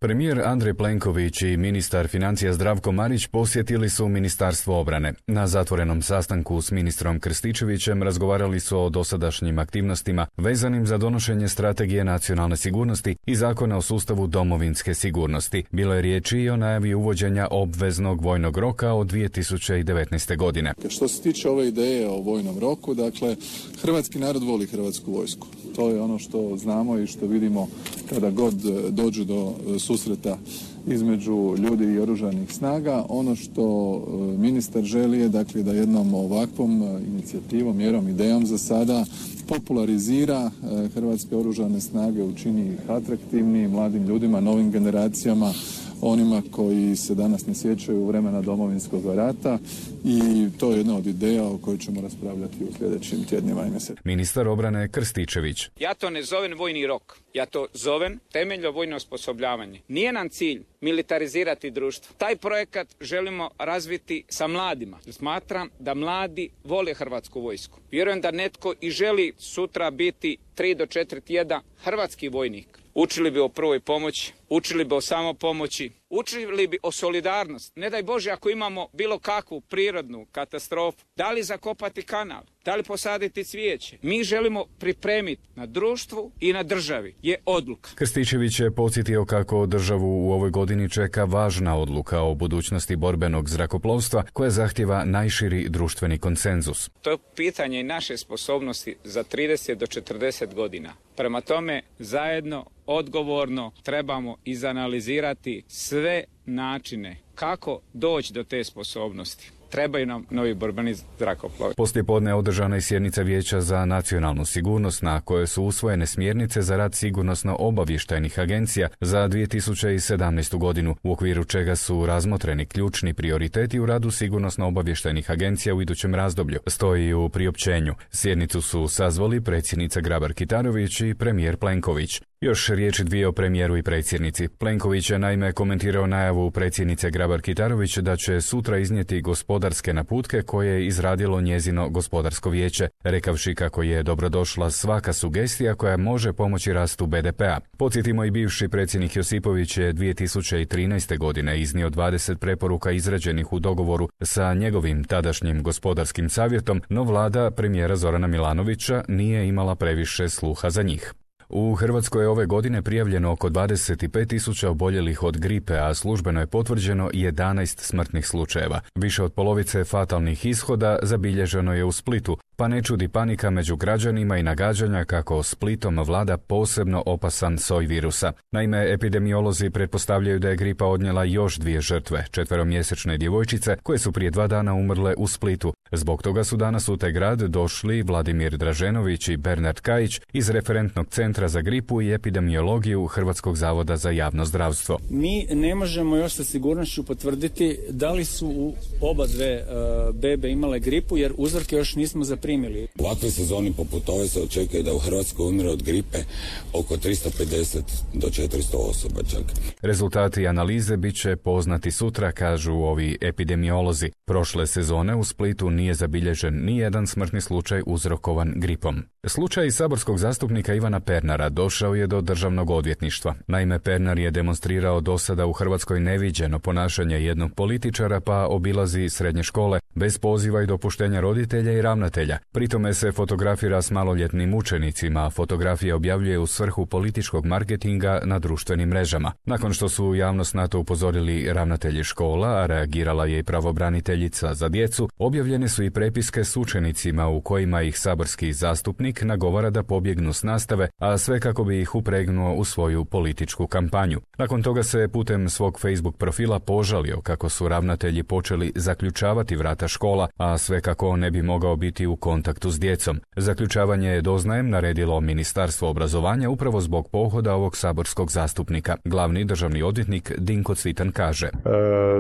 Premijer Andrej Plenković i ministar financija Zdravko Marić posjetili su Ministarstvo obrane. Na zatvorenom sastanku s ministrom Krstičevićem razgovarali su o dosadašnjim aktivnostima vezanim za donošenje strategije nacionalne sigurnosti i zakona o sustavu domovinske sigurnosti. Bilo je riječi i o najavi uvođenja obveznog vojnog roka od 2019. godine. Što se tiče ove ideje o vojnom roku, dakle, hrvatski narod voli hrvatsku vojsku. To je ono što znamo i što vidimo kada god dođe do susreta između ljudi i oružanih snaga. Ono što ministar želi je, dakle, da jednom ovakvom inicijativom, mjerom, idejom za sada popularizira hrvatske oružane snage, učini ih atraktivnijim mladim ljudima, novim generacijama, onima koji se danas ne sjećaju vremena Domovinskog rata, i to je jedna od ideja o kojoj ćemo raspravljati u sljedećim tjednima i mjesecima. Ministar obrane Krstičević. Ja to ne zovem vojni rok, ja to zovem temeljno vojno osposobljavanje. Nije nam cilj militarizirati društvo. Taj projekat želimo razviti sa mladima. Smatram da mladi vole hrvatsku vojsku. Vjerujem da netko i želi sutra biti 3 do 4 tjedna hrvatski vojnik. Učili bi o prvoj pomoći, učili bi o samopomoći, učili bi o solidarnosti. Ne daj Bože ako imamo bilo kakvu prirodnu katastrofu, da li zakopati kanal, da li posaditi cvijeće. Mi želimo pripremiti na društvu i na državi. Je odluka. Krstičević je podsjetio kako državu u ovoj godini čeka važna odluka o budućnosti borbenog zrakoplovstva koja zahtjeva najširi društveni konsenzus. To je pitanje i naše sposobnosti za 30 do 40 godina. Prema tome, zajedno, odgovorno trebamo izanalizirati sve načine kako doći do te sposobnosti. Trebaju nam novi borbeni zrakoplovi. Poslijepodne održana je sjednica Vijeća za nacionalnu sigurnost na kojoj su usvojene smjernice za rad sigurnosno-obavještajnih agencija za 2017. godinu, u okviru čega su razmotreni ključni prioriteti u radu sigurnosno-obavještajnih agencija u idućem razdoblju, stoji u priopćenju. Sjednicu su sazvali predsjednica Grabar-Kitarović i premijer Plenković. Još riječi dvije o premijeru i predsjednici. Plenković je naime komentirao najavu predsjednice Grabar-Kitarović da će sutra iznijeti gospodarske naputke koje je izradilo njezino gospodarsko vijeće, rekavši kako je dobrodošla svaka sugestija koja može pomoći rastu BDP-a. Podsjetimo, i bivši predsjednik Josipović je 2013. godine iznio 20 preporuka izrađenih u dogovoru sa njegovim tadašnjim gospodarskim savjetom, no vlada premijera Zorana Milanovića nije imala previše sluha za njih. U Hrvatskoj je ove godine prijavljeno oko 25.000 oboljelih od gripe, a službeno je potvrđeno 11 smrtnih slučajeva. Više od polovice fatalnih ishoda zabilježeno je u Splitu, pa ne čudi panika među građanima i nagađanja kako Splitom vlada posebno opasan soj virusa. Naime, epidemiolozi pretpostavljaju da je gripa odnijela još 2 žrtve, 4-mjesečne djevojčice koje su prije 2 dana umrle u Splitu. Zbog toga su danas u taj grad došli Vladimir Draženović i Bernard Kajić iz Referentnog centra za gripu i epidemiologiju Hrvatskog zavoda za javno zdravstvo. Mi ne možemo još sa sigurnošću potvrditi da li su oba dve bebe imale gripu, jer uzorke još nismo zaprimili. U ovakvoj sezoni poput ove se očekuje da u Hrvatskoj umre od gripe oko 350 do 400 osoba čak. Rezultati analize bit će poznati sutra, kažu ovi epidemiolozi. Prošle sezone u Splitu nije zabilježen ni jedan smrtni slučaj uzrokovan gripom. Slučaj saborskog zastupnika Ivana Pernara došao je do Državnog odvjetništva. Naime, Pernar je demonstrirao do sada u Hrvatskoj neviđeno ponašanje jednog političara, pa obilazi srednje škole bez poziva i dopuštenja roditelja i ravnatelja. Pritome se fotografira s maloljetnim učenicima, a fotografije objavljuje u svrhu političkog marketinga na društvenim mrežama. Nakon što su javnost na to upozorili ravnatelji škola, a reagirala je i pravobraniteljica za djecu, objavljene su i prepiske s učenicima u kojima ih saborski zastupnik nagovara da pobjegnu s nastave, a sve kako bi ih upregnuo u svoju političku kampanju. Nakon toga se putem svog Facebook profila požalio kako su ravnatelji počeli zaključavati vrata škola, a sve kako on ne bi mogao biti u kontaktu s djecom. Zaključavanje je, doznajem, naredilo Ministarstvo obrazovanja upravo zbog pohoda ovog saborskog zastupnika. Glavni državni odvjetnik Dinko Cvitan kaže: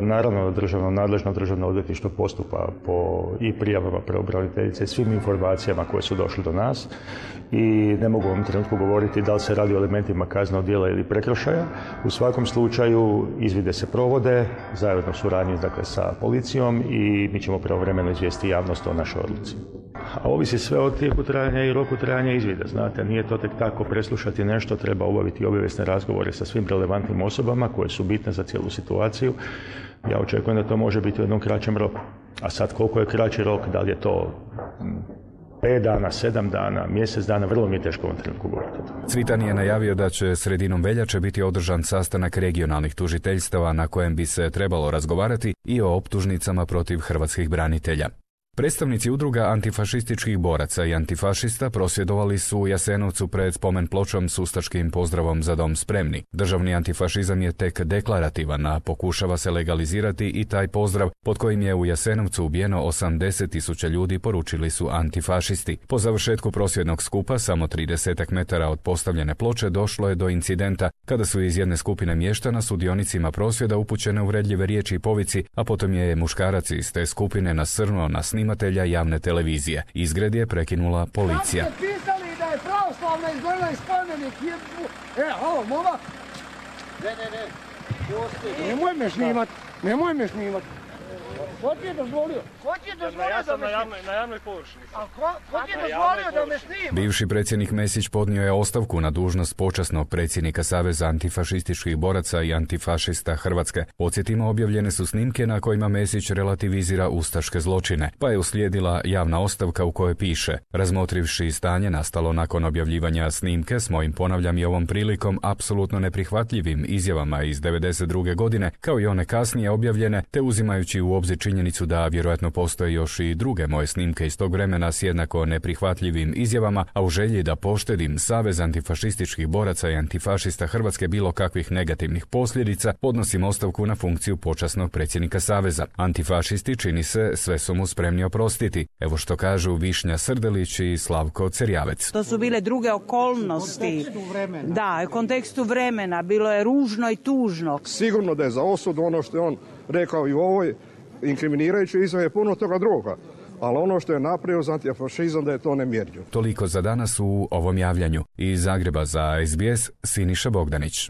Naravno, nadležno državno odvjetništvo postupa po i prijavama pravobraniteljice i svim informacijama koje su došle do nas i ne mogu u ovom trenutku govoriti da li se radi o elementima kaznenog djela ili prekršaja. U svakom slučaju izvide se provode zajedno u suradnji, dakle, sa policijom i mi ćemo pravovremeno izvijestiti javnost o našoj odluci. A ovisi sve od tijeku trajanja i roku trajanja izvida. Znate, nije to tek tako preslušati nešto, treba obaviti obavijesne razgovore sa svim relevantnim osobama koje su bitne za cijelu situaciju. Ja očekujem da to može biti u jednom kraćem roku. A sad koliko je kraći rok, da li je to 5 dana, 7 dana, mjesec dana, vrlo mi je teško u ovom trenutku govoriti. Cvitan je najavio da će sredinom veljače biti održan sastanak regionalnih tužiteljstava na kojem bi se trebalo razgovarati i o optužnicama protiv hrvatskih branitelja. Predstavnici udruga antifašističkih boraca i antifašista prosvjedovali su u Jasenovcu pred spomen pločom s ustaškim pozdravom Za dom spremni. Državni antifašizam je tek deklarativan, a pokušava se legalizirati i taj pozdrav pod kojim je u Jasenovcu ubijeno 80.000 ljudi, poručili su antifašisti. Po završetku prosvjednog skupa, samo 30 metara od postavljene ploče, došlo je do incidenta kada su iz jedne skupine mještana sudionicima prosvjeda upućene uvredljive riječi i povici, a potom je muškarac iz te skupine nasrnuo na snimatelja javne televizije. Izgred je prekinula policija. Kako ste pisali da je pravoslavna izdvojila iz spomenik? Halo, momak! Ne. Nemoj me šnimat. Ko ti je dozvolio? Ja sam na javnoj površini. A ko ti je dozvolio da me snima? Bivši predsjednik Mesić podnio je ostavku na dužnost počasnog predsjednika Saveza antifašističkih boraca i antifašista Hrvatske. Podsjetimo, objavljene su snimke na kojima Mesić relativizira ustaške zločine, pa je uslijedila javna ostavka u kojoj piše: razmotrivši stanje nastalo nakon objavljivanja snimke s mojim, ponavljam i ovom prilikom, apsolutno neprihvatljivim izjavama iz 1992. godine, kao i one kasnije objavljene, te uzimajući u obzir činjenicu da vjerojatno postoje još i druge moje snimke iz tog vremena s jednako neprihvatljivim izjavama, a u želji da poštedim Savez antifašističkih boraca i antifašista Hrvatske bilo kakvih negativnih posljedica, podnosim ostavku na funkciju počasnog predsjednika Saveza. Antifašisti, čini se, sve su mu spremni oprostiti. Evo što kažu Višnja Srdelić i Slavko Cerjavec. To su bile druge okolnosti. Da, u kontekstu vremena. Bilo je ružno i tužno. Sigurno da je za osudu ono što je on rekao i u ovoj inkriminirajući izjave puno toga druga, ali ono što je napravio za antifašizam da je to nemjerljivo. Toliko za danas u ovom javljanju. Iz Zagreba za SBS, Siniša Bogdanić.